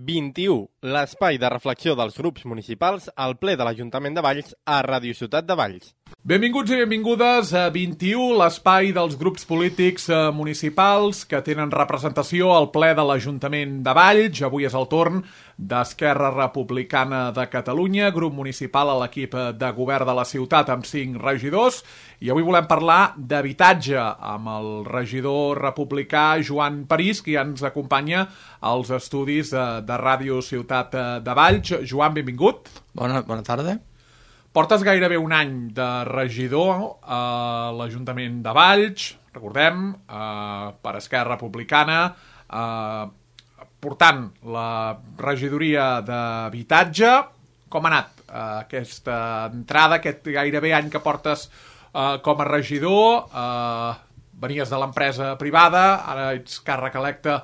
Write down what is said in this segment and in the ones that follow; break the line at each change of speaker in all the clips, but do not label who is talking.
21, l'espai de reflexió dels grups municipals al ple de l'Ajuntament de Valls a Ràdio Ciutat de Valls.
Benvinguts i benvingudes a 21, l'espai dels grups polítics municipals que tenen representació al ple de l'Ajuntament de Valls. Avui és el torn d'Esquerra Republicana de Catalunya, grup municipal a l'equip de govern de la ciutat amb 5 regidors. I avui volem parlar d'habitatge amb el regidor republicà Joan París, que ja ens acompanya als estudis de Ràdio Ciutat de Valls. Joan, benvingut.
Bona tarda.
Portes gairebé un any de regidor a l'Ajuntament de Valls, recordem, per Esquerra Republicana, portant la regidoria d'habitatge. Com ha anat aquesta entrada, aquest gairebé any que portes com a regidor? Venies de l'empresa privada, ara ets càrrec electe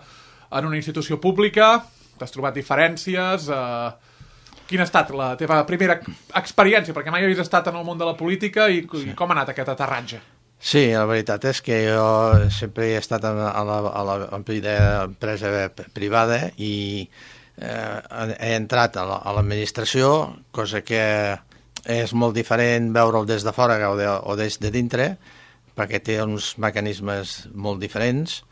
en una institució pública, t'has trobat diferències. Quina ha estat la teva primera experiència? Perquè mai havies estat en el món de la política i com ha anat aquest aterratge?
Sí, la veritat és que jo sempre he estat a l'empresa privada i he entrat a l'administració, cosa que és molt diferent veure'l des de fora o des de dintre, perquè té uns mecanismes molt diferents,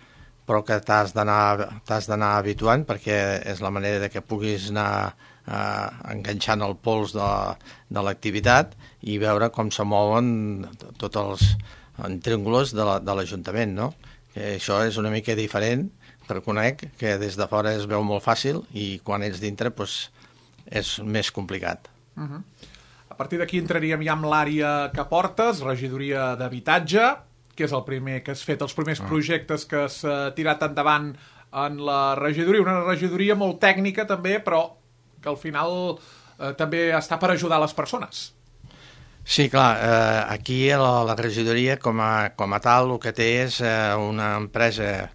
però que t'has d'anar habituant perquè és la manera que puguis anar enganxant el pols de l'activitat i veure com se mouen tots els intríngulos de l'Ajuntament, no? Que això és una mica diferent, reconec que des de fora es veu molt fàcil i quan ets dintre és més complicat.
A partir d'aquí entraríem ja amb l'àrea que portes, regidoria d'habitatge, que és el primer que has fet, els primers projectes que has tirat endavant en la regidoria, una regidoria molt tècnica també, però que al final també està per ajudar les persones.
Sí, clar, aquí la regidoria com a tal el que té és una empresa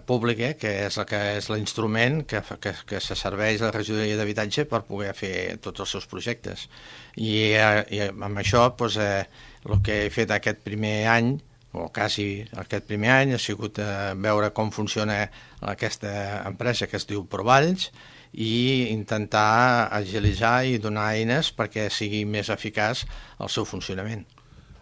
pública que és l'instrument que se serveix a la regidoria d'habitatge per poder fer tots els seus projectes. I amb això el que he fet aquest primer any, o quasi aquest primer any, ha sigut veure com funciona aquesta empresa que es diu Provalls i intentar agilitzar i donar eines perquè sigui més eficaç el seu funcionament.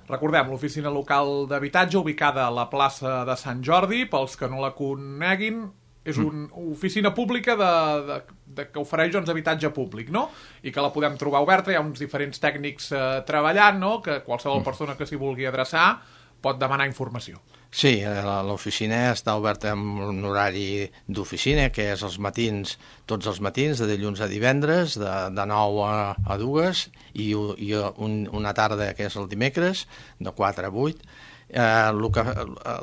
Recordem, l'oficina local d'habitatge ubicada a la plaça de Sant Jordi, pels que no la coneguin, és una oficina pública que ofereix habitatge públic, no? I que la podem trobar oberta, hi ha uns diferents tècnics treballant, no? Que qualsevol persona que s'hi vulgui adreçar pot demanar informació.
Sí, l'oficina està oberta amb un horari d'oficina, que és els matins, tots els matins, de dilluns a divendres, de 9 a 2, i una tarda, que és el dimecres, de 4 a 8. El que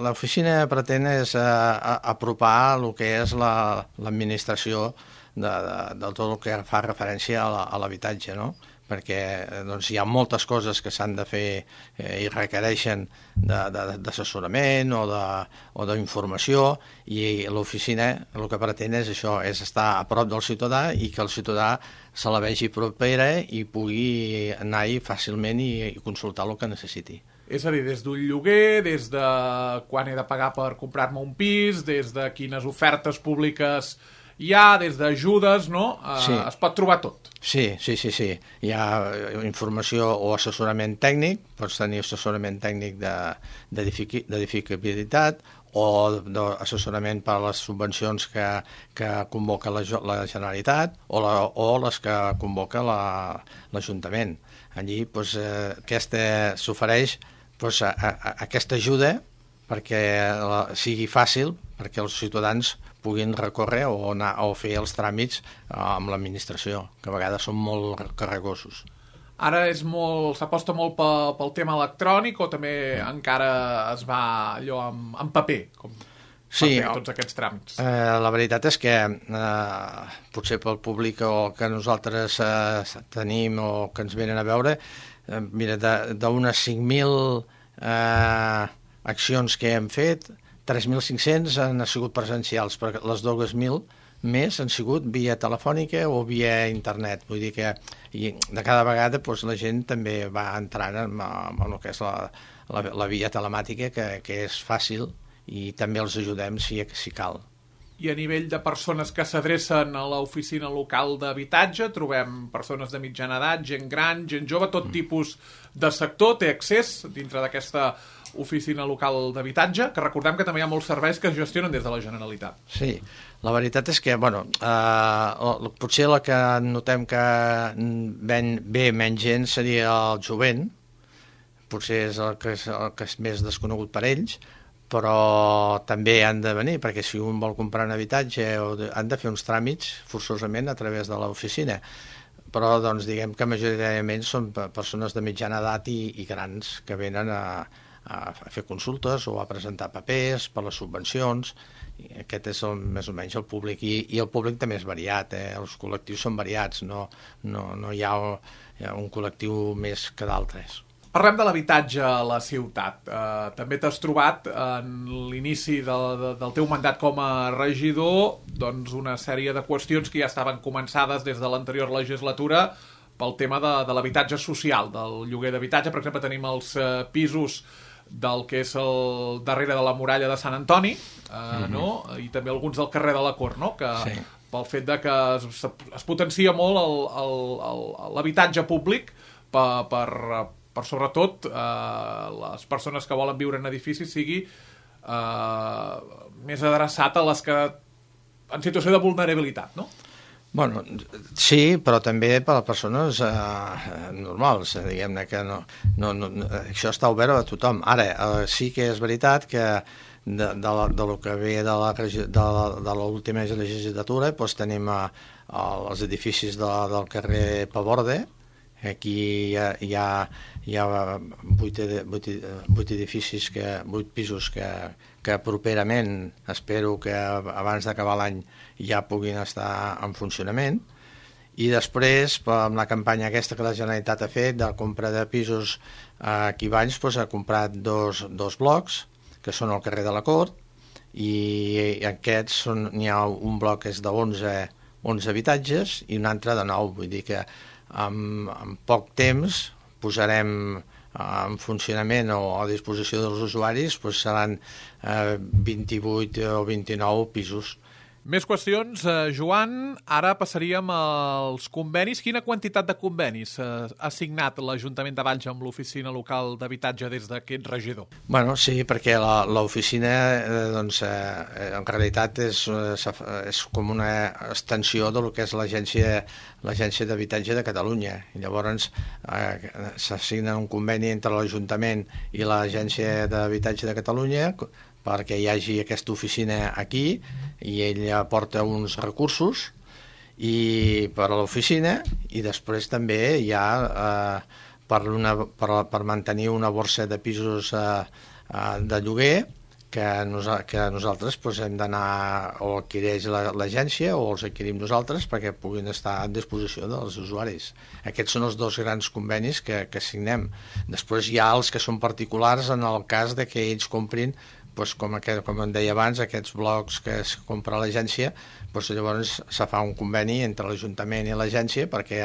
l'oficina pretén és apropar el que és l'administració de tot el que fa referència a l'habitatge, no? Perquè hi ha moltes coses que s'han de fer i requereixen d'assessorament o d'informació, i l'oficina el que pretén és això, és estar a prop del ciutadà i que el ciutadà se la vegi propera i pugui anar-hi fàcilment i consultar el que necessiti.
És a dir, des d'un lloguer, des de quan he de pagar per comprar-me un pis, des de quines ofertes públiques hi ha, des d'ajudes, no?
Sí.
Es pot trobar tot.
Sí. Hi ha informació o assessorament tècnic, pots tenir assessorament tècnic d'edificabilitat o d'assessorament per a les subvencions que convoca la Generalitat o les que convoca l'Ajuntament. Allí s'ofereix aquesta ajuda perquè sigui fàcil, perquè els ciutadans puguin recórrer o fer els tràmits amb l'administració, que a vegades són molt carregosos.
Ara s'aposta molt pel tema electrònic o també encara es va allò amb paper, com per fer tots aquests tràmits?
La veritat és que potser pel públic o que nosaltres tenim o que ens venen a veure, mira, d'unes 5.000 accions que hem fet, 3.500 han sigut presencials, perquè les 2.000 més han sigut via telefònica o via internet. Vull dir que de cada vegada la gent també va entrant en el que és la via telemàtica, que és fàcil i també els ajudem si cal.
I a nivell de persones que s'adrecen a l'oficina local d'habitatge, trobem persones de mitjana edat, gent gran, gent jove, tot tipus de sector té accés dintre d'aquesta oficina local d'habitatge, que recordem que també hi ha molts serveis que es gestionen des de la Generalitat.
Sí, la veritat és que, potser la que notem que ve menys gent seria el jovent, potser és el que és més desconegut per ells, però també han de venir, perquè si un vol comprar un habitatge han de fer uns tràmits forçosament a través de l'oficina. Però doncs, diguem que majoritàriament són persones de mitjana edat i grans que venen a fer consultes o a presentar papers per les subvencions. I aquest és més o menys el públic, i el públic també és variat, els col·lectius són variats, no hi ha un col·lectiu més que d'altres.
Parlem de l'habitatge a la ciutat. També t'has trobat en l'inici del teu mandat com a regidor doncs una sèrie de qüestions que ja estaven començades des de l'anterior legislatura pel tema de l'habitatge social, del lloguer d'habitatge. Per exemple, tenim els pisos del que és el darrere de la muralla de Sant Antoni, no? I també alguns del carrer de la Cort, no? Que sí. Pel fet de que es potencia molt l'habitatge públic per sobretot les persones que volen viure en edificis sigui més adreçat a les que en situació de vulnerabilitat, no?
Bueno, sí, però també per a persones normals, diguem-ne que no, això està obert a tothom. Ara, sí que és veritat que de lo que ve de l'última legislatura doncs tenim els edificis del carrer Paborde. Aquí hi ha 8 edificis, 8 pisos que properament espero que abans d'acabar l'any ja puguin estar en funcionament. I després, amb la campanya aquesta que la Generalitat ha fet de compra de pisos aquí a Valls, ha comprat dos blocs, que són al carrer de la Cort, i aquests n'hi ha un bloc que és de 11 habitatges i un altre de 9, vull dir que en poc temps posarem en funcionament o a disposició dels usuaris, seran 28 o 29 pisos.
Més qüestions, Joan. Ara passaríem als convenis. Quina quantitat de convenis ha signat l'Ajuntament de Valls amb l'oficina local d'habitatge des d'aquest regidor?
Bueno, sí, perquè l'oficina en realitat és com una extensió del que és l'Agència d'Habitatge de Catalunya. I llavors s'assigna un conveni entre l'Ajuntament i l'Agència d'Habitatge de Catalunya perquè hi hagi aquesta oficina aquí i ell aporta uns recursos per a l'oficina i després també hi ha per mantenir una borsa de pisos de lloguer que nosaltres hem d'anar o adquireix l'agència o els adquirim nosaltres perquè puguin estar a disposició dels usuaris. Aquests són els dos grans convenis que signem. Després hi ha els que són particulars en el cas de que ells comprin com em deia abans, aquests blocs que es compra a l'agència, llavors se fa un conveni entre l'Ajuntament i l'agència perquè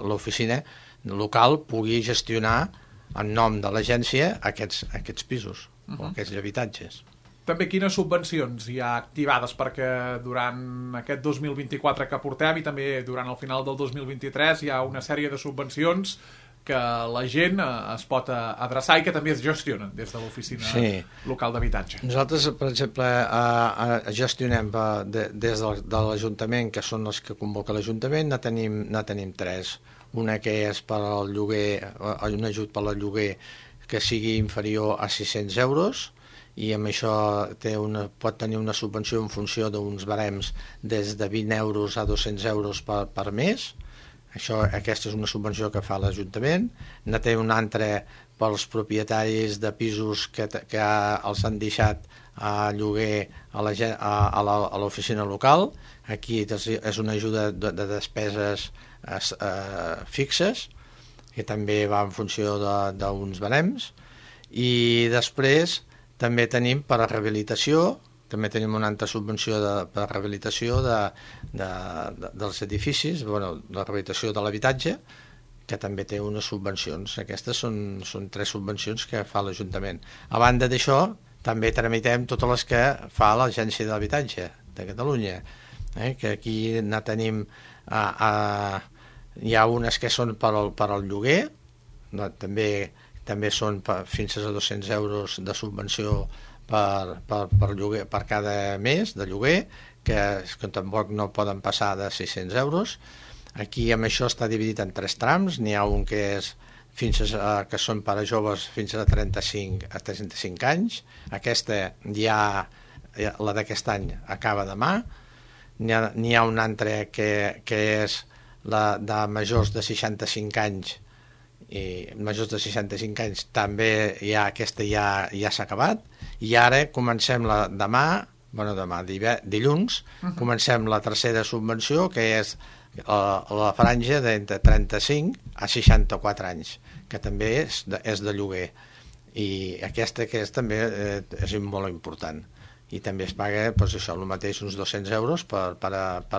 l'oficina local pugui gestionar en nom de l'agència aquests pisos o aquests habitatges.
També quines subvencions hi ha activades perquè durant aquest 2024 que portem i també durant el final del 2023 hi ha una sèrie de subvencions que la gent es pot adreçar i que també es gestionen des de l'oficina local d'habitatge.
Nosaltres, per exemple, gestionem des de l'Ajuntament, que són els que convoca l'Ajuntament, ne tenim 3. Una que és per al lloguer, un ajut per al lloguer que sigui inferior a 600 euros, i amb això pot tenir una subvenció en funció d'uns barems des de 20 euros a 200 euros per mes. Aquesta és una subvenció que fa l'Ajuntament. Ne té una altra pels propietaris de pisos que els han deixat a lloguer a l'oficina local. Aquí és una ajuda de despeses fixes, que també va en funció d'uns barems. I després també tenim per a rehabilitació, també tenim una altra subvenció per a rehabilitació dels edificis, la rehabilitació de l'habitatge, que també té unes subvencions. Aquestes són 3 subvencions que fa l'Ajuntament. A banda d'això, també tramitem totes les que fa l'Agència de l'Habitatge de Catalunya, que aquí ne tenim, hi ha unes que són per al lloguer, també són fins a 200 euros de subvenció per lloguer, per cada mes de lloguer, que tampoc no poden passar de 600 euros. Aquí amb això està dividit en 3 trams, n'hi ha un que és que són per a joves fins a 35 anys. Aquesta la d'aquest any acaba demà. N'hi ha un altre que és la de majors de 65 anys, i majors de 65 anys també aquesta ja s'ha acabat, i ara comencem dilluns, comencem la tercera subvenció, que és la franja d'entre 35 a 64 anys, que també és de lloguer, i aquesta que també és molt important, i també es paga el mateix, uns 200 euros per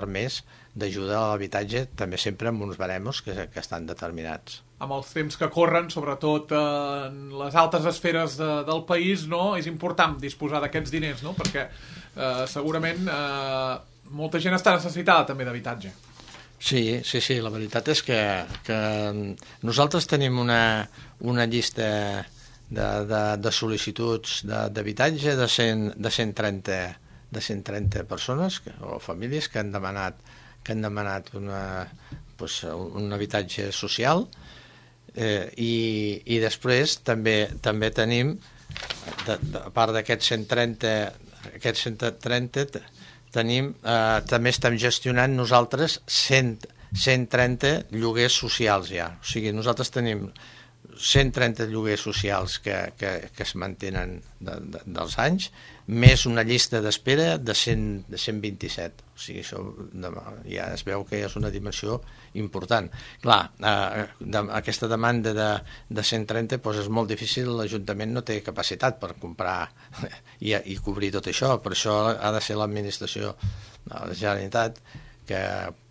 mes d'ajuda a l'habitatge, també sempre amb uns baremos que estan determinats.
Amb els temps que corren, sobretot en les altes esferes del país, no? És important disposar d'aquests diners, no? Perquè segurament molta gent està necessitada també d'habitatge.
Sí, la veritat és que nosaltres tenim una llista de sol·licituds d'habitatge de 130 persones o famílies que han demanat un habitatge social, i després també tenim, a part d'aquests 130 tenim, també estem gestionant nosaltres 130 lloguers socials ja. O sigui, nosaltres tenim 130 lloguers socials que es mantenen dels anys, més una llista d'espera de 127. O sigui, això ja es veu que és una dimensió important. Clar, aquesta demanda de 130 és molt difícil, l'Ajuntament no té capacitat per comprar i cobrir tot això, per això ha de ser l'administració de la Generalitat que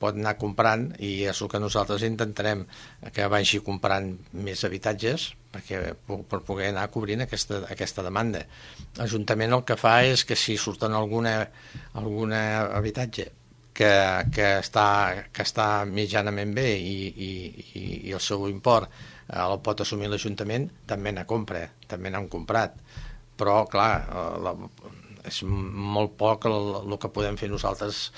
pot anar comprant, i és el que nosaltres intentarem, que vagi comprant més habitatges per poder anar cobrint aquesta demanda. L'Ajuntament el que fa és que si surten algun habitatge que està mitjanament bé i el seu import el pot assumir l'Ajuntament, també n'ha comprat. Però, clar, és molt poc el que podem fer nosaltres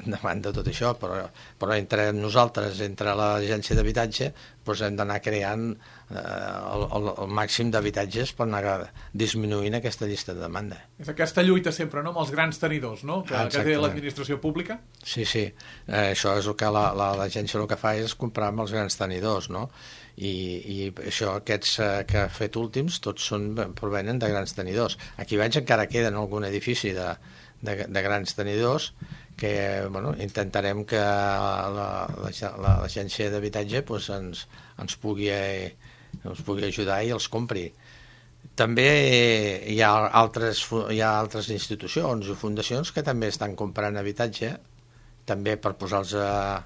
davant de tot això, però entre nosaltres, entre l'agència d'habitatge, hem d'anar creant el màxim d'habitatges per anar disminuint aquesta llista de demanda.
És aquesta lluita sempre, no?, amb els grans tenidors, no?, que té l'administració pública.
Sí, això és el que l'agència el que fa és comprar amb els grans tenidors, no?, i això, aquests que ha fet últims, tots provenen de grans tenidors. Aquí veig encara queden algun edifici de grans tenidors que intentarem que l'agència d'habitatge ens pugui ajudar i els compri. També hi ha altres institucions i fundacions que també estan comprant habitatge, també per posar-los a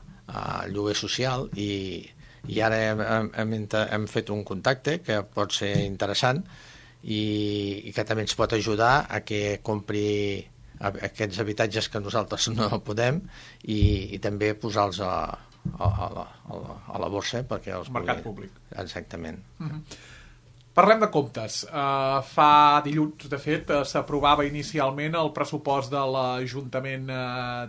lloguer social, i ara hem fet un contacte que pot ser interessant i que també ens pot ajudar a que compri aquests habitatges que nosaltres no podem, i també posar-los a la borsa perquè els
mercat públic.
Exactament.
Parlem de comptes. Fa dilluns, de fet, s'aprovava inicialment el pressupost de l'Ajuntament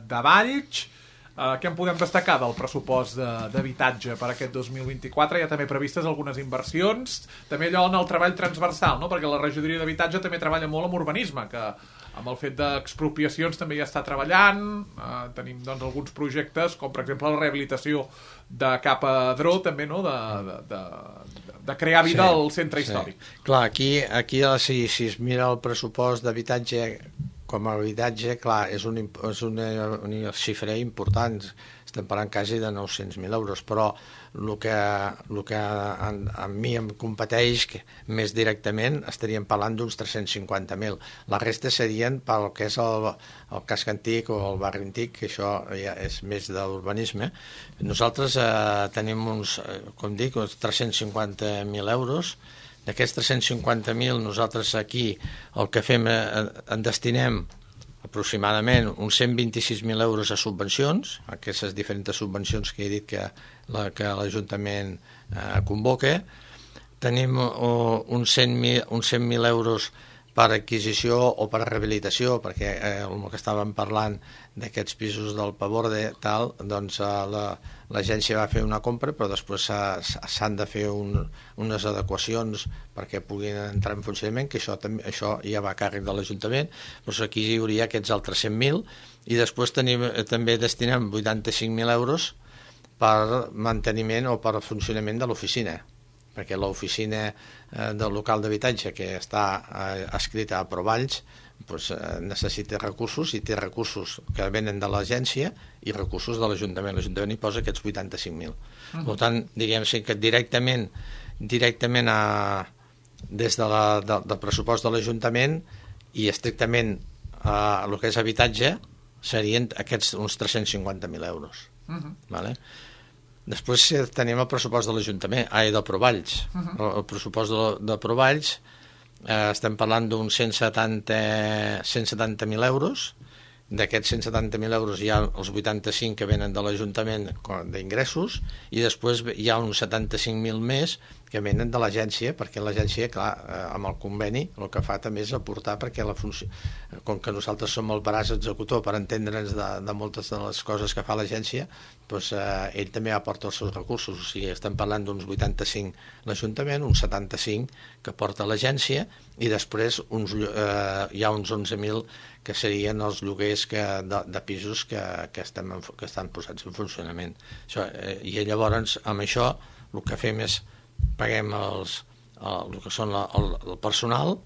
de Valls. Què en podem destacar del pressupost d'habitatge per aquest 2024? Hi ha també previstes algunes inversions, també allò en el treball transversal, no? Perquè la regidoria d'habitatge també treballa molt amb urbanisme, que amb el fet d'expropiacions també ja està treballant. Tenim alguns projectes, com per exemple la rehabilitació de Cap Adró, també, no?, de crear vida al centre històric.
Clar, aquí si es mira el pressupost d'habitatge com a habitatge, clar, és una xifra important, estem parlant quasi de 900.000 euros, però el que a mi em competeix més directament estaríem parlant d'uns 350.000. La resta serien pel que és el casc antic o el barri antic, que això ja és més de l'urbanisme. Nosaltres tenim uns 350.000 euros D'aquests 350.000, nosaltres aquí el que fem, en destinem aproximadament uns 126.000 euros a subvencions, aquestes diferents subvencions que he dit que l'Ajuntament convoca. Tenim uns 100.000 euros per adquisició o per rehabilitació, perquè el que estàvem parlant d'aquests pisos del Paborde, doncs l'agència va fer una compra, però després s'han de fer unes adequacions perquè puguin entrar en funcionament, que això ja va a càrrec de l'Ajuntament. Doncs aquí hi hauria aquests altres 100.000, i després també destinem 85.000 euros per manteniment o per funcionament de l'oficina, perquè l'oficina del local d'habitatge que està escrita a Provalls necessita recursos, i té recursos que venen de l'agència i recursos de l'Ajuntament. L'Ajuntament hi posa aquests 85.000. Per tant, diguem-ne que directament des del pressupost de l'Ajuntament i estrictament el que és habitatge serien aquests uns 350.000 euros. Vale? Després tenim el pressupost de l'Ajuntament, de Provalls. El pressupost de Provalls estem parlant d'uns 170.000 euros. D'aquests 170.000 euros hi ha els 85 que venen de l'Ajuntament d'ingressos, i després hi ha uns 75.000 més que venen de l'agència, perquè l'agència, clar, amb el conveni, el que fa també és aportar, perquè com que nosaltres som el braç executor per entendre'ns de moltes de les coses que fa l'agència, doncs ell també aporta els seus recursos. O sigui, estem parlant d'uns 85 l'Ajuntament, uns 75 que porta l'agència, i després hi ha uns 11.000 que serien els lloguers de pisos que estan posats en funcionament. I llavors, amb això, el que fem és paguem el que són el personal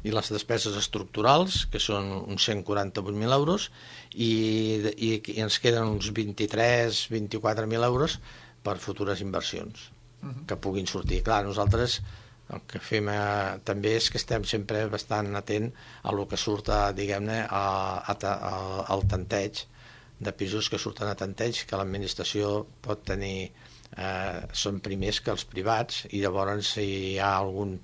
i les despeses estructurals, que són uns 148.000 euros, i ens queden uns 23-24.000 euros per futures inversions que puguin sortir. Clar, nosaltres el que fem també és que estem sempre bastant atent a el que surt, diguem-ne, al tanteig de pisos que surten a tanteig, que l'administració pot tenir, són primers que els privats, i llavors si hi ha algun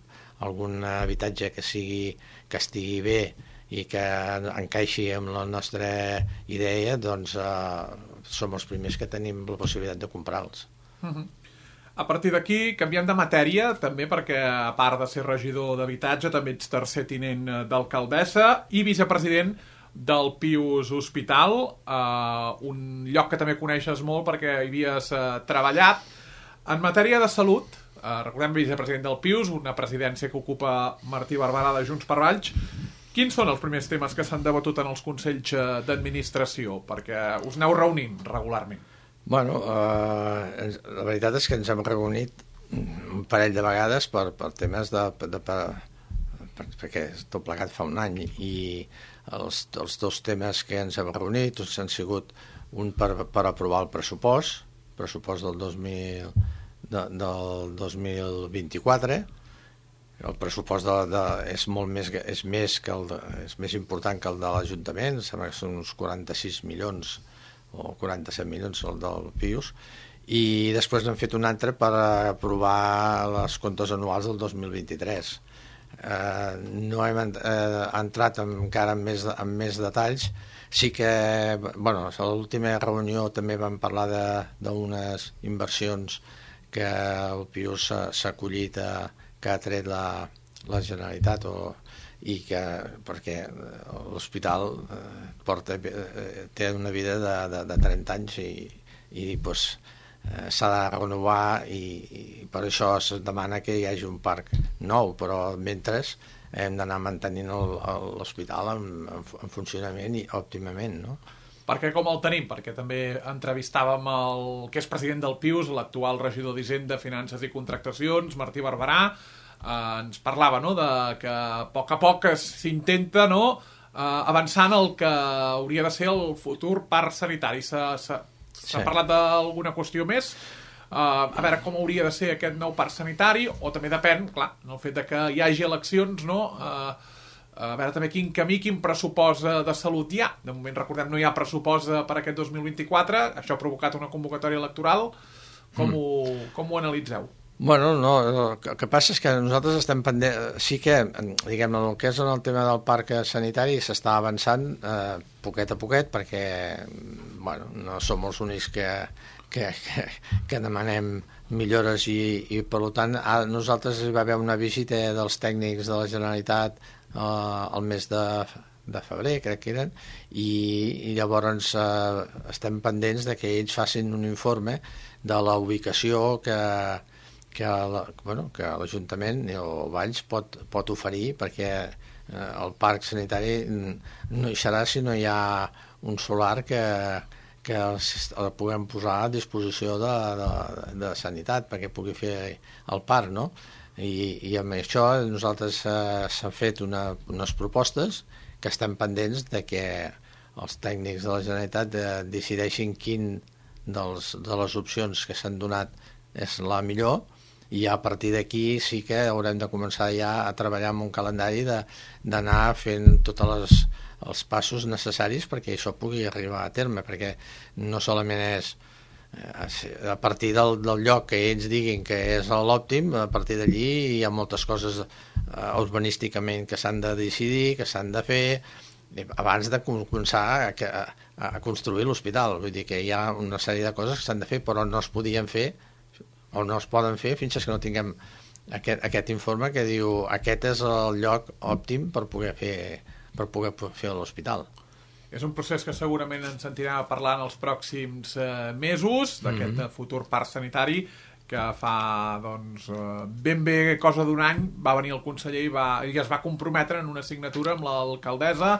habitatge que estigui bé i que encaixi amb la nostra idea, doncs som els primers que tenim la possibilitat de comprar-los.
A partir d'aquí, canviem de matèria, també perquè, a part de ser regidor d'habitatge, també ets tercer tinent d'alcaldessa i vicepresident del Pius Hospital, un lloc que també coneixes molt perquè hi havies treballat. En matèria de salut, recordem, vicepresident del Pius, una presidència que ocupa Martí Barberà de Junts per Valls. Quins són els primers temes que s'han debatut en els consells d'administració? Perquè us aneu reunint regularment.
Bueno, la veritat és que ens hem reunit un parell de vegades per temes perquè tot plegat fa un any, i els dos temes que ens hem reunit han sigut un per aprovar el pressupost del 2024. El pressupost és més important que el de l'Ajuntament, sembla que són uns 46 milions o 47 milions el del Pius, i després n'hem fet un altre per aprovar les comptes anuals del 2023. No hem entrat encara en més detalls. Sí que, bueno, a l'última reunió també vam parlar d'unes inversions que el Pius s'ha acollit, que ha tret la Generalitat, perquè l'hospital té una vida de 30 anys i s'ha de renovar, i per això es demana que hi hagi un parc nou, però mentre hem d'anar mantenint l'hospital en funcionament i òptimament, no?
Perquè com el tenim? Perquè també entrevistàvem el que és president del Pius, l'actual regidor d'Hisenda, Finances i Contractacions, Martí Barberà. Ens parlava, no?, de que a poc s'intenta, no?, avançar en el que hauria de ser el futur parc sanitari. S'ha parlat d'alguna qüestió més? A veure com hauria de ser aquest nou parc sanitari, o també depèn, clar, el fet de que hi hagi eleccions, no?, a veure també quin camí, quin pressupost de salut hi ha. De moment, recordem, no hi ha pressupost per aquest 2024, això ha provocat una convocatòria electoral. Com ho analitzeu?
Bueno, no, el que passa és que nosaltres estem pendents, sí que, diguem-ne, el que és en el tema del parc sanitari s'està avançant poquet a poquet, perquè bueno, no som els únics que demanem millores i per tant, nosaltres hi va haver una visita dels tècnics de la Generalitat al mes de febrer, crec que eren, i llavors estem pendents de que ells facin un informe de la ubicació que l'Ajuntament o Valls pot oferir, perquè el parc sanitari no hi serà si no hi ha un solar que el puguem posar a disposició de sanitat perquè pugui fer el parc, no? I amb això nosaltres s'han fet unes propostes que estem pendents de que els tècnics de la Generalitat decideixin quin de les opcions que s'han donat és la millor, i a partir d'aquí sí que haurem de començar ja a treballar amb un calendari d'anar fent tots els passos necessaris perquè això pugui arribar a terme, perquè no solament és a partir del lloc que ells diguin que és l'òptim, a partir d'allí hi ha moltes coses urbanísticament que s'han de decidir, que s'han de fer abans de començar a construir l'hospital. Vull dir que hi ha una sèrie de coses que s'han de fer però no es podien fer o no es poden fer fins que no tinguem aquest informe que diu aquest és el lloc òptim per poder fer l'hospital.
És un procés que segurament ens sentirà parlar en els pròxims mesos d'aquest futur parc sanitari que fa ben bé cosa d'un any va venir el conseller i es va comprometre en una signatura amb l'alcaldessa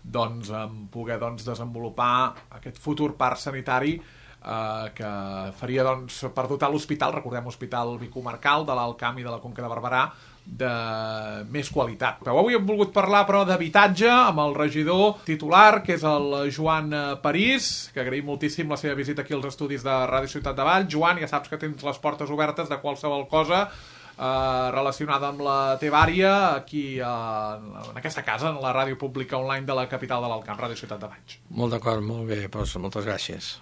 en poder desenvolupar aquest futur parc sanitari que faria per dotar l'hospital, recordem hospital bicomarcal de l'Alt Camp i de la Conca de Barberà, de més qualitat. Però avui hem volgut parlar però d'habitatge amb el regidor titular, que és el Joan París, que agraïm moltíssim la seva visita aquí als estudis de Ràdio Ciutat de Valls. Joan, ja saps que tens les portes obertes de qualsevol cosa relacionada amb la teva àrea aquí en aquesta casa, en la ràdio pública online de la capital de l'Alt Camp, Ràdio Ciutat de Valls.
Molt d'acord, molt bé, doncs moltes gràcies.